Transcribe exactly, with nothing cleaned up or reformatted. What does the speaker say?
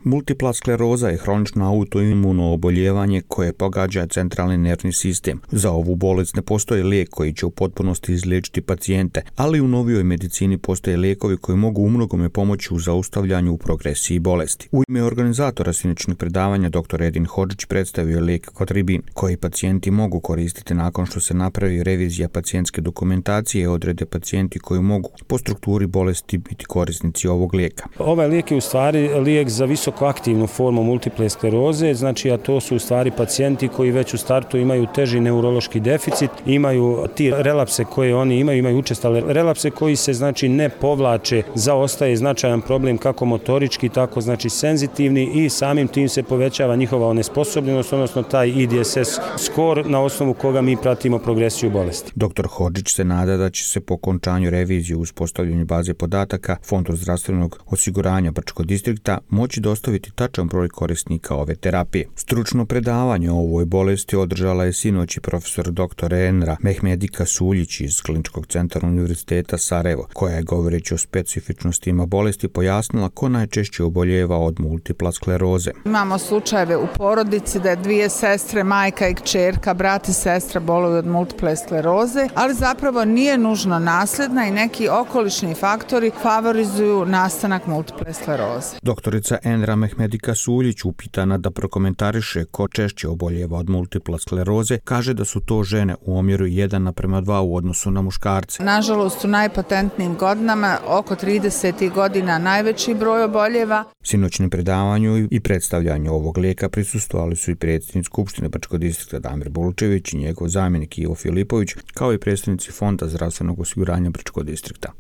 Multipla skleroza je hronično autoimuno oboljevanje koje pogađa centralni nervni sistem. Za ovu bolest ne postoji lijek koji će u potpunosti izliječiti pacijente, ali u novijoj medicini postoje lijekovi koji mogu umnogome pomoći u zaustavljanju u progresiji bolesti. U ime organizatora sinoćnog predavanja dr. Edin Hodžić predstavio je lijek Kotribin, koji pacijenti mogu koristiti nakon što se napravi revizija pacijentske dokumentacije i odrede pacijenti koji mogu po strukturi bolesti biti korisnici ovog lijeka. Ovaj lijek je u stvari lijek za visokoaktivnu formu multiple skleroze, znači a to su u stvari pacijenti koji već u startu imaju teži neurološki deficit, imaju ti relapse koje oni imaju, imaju učestale relapse koji se znači ne povlače, zaostaje značajan problem kako motorički, tako znači senzitivni i samim tim se povećava njihova onesposobljenost, odnosno taj I D S S skor na osnovu koga mi pratimo progresiju bolesti. doktor Hodžić se nada da će se po okončanju revizije u uspostavljanju baze podataka Fondu zdravstvenog osiguranja Brčkog distrikta moći dostaviti tačan broj korisnika ove terapije. Stručno predavanje o ovoj bolesti održala je sinoć i profesor doktor Enra Mehmedika Suljić iz Kliničkog centra Univerziteta Sarajevo, koja je govoreći o specifičnostima bolesti pojasnila ko najčešće oboljeva od multipla skleroze. Imamo slučajeve u porodici da je dvije sestre, majka i kćerka, brat i sestra boluju od multiple skleroze, ali zapravo nije nužno nasljedna i neki okolišni faktori favorizuju nastanak multiple skleroze. Doktorica Enra Mehmedika Suljić, upitana da prokomentariše ko češće oboljeva od multipla skleroze, kaže da su to žene u omjeru jedan naprema dva u odnosu na muškarce. Nažalost, u najpotentnijim godinama, oko trideset godina, najveći broj oboljeva. Sinoćnom predavanju i predstavljanju ovog lijeka prisustvovali su i predsjednik Skupštine Brčkog distrikta Damir Bulčević i njegov zamjenik Ivo Filipović, kao i predstavnici Fonda zdravstvenog osiguranja Brčkog distrikta.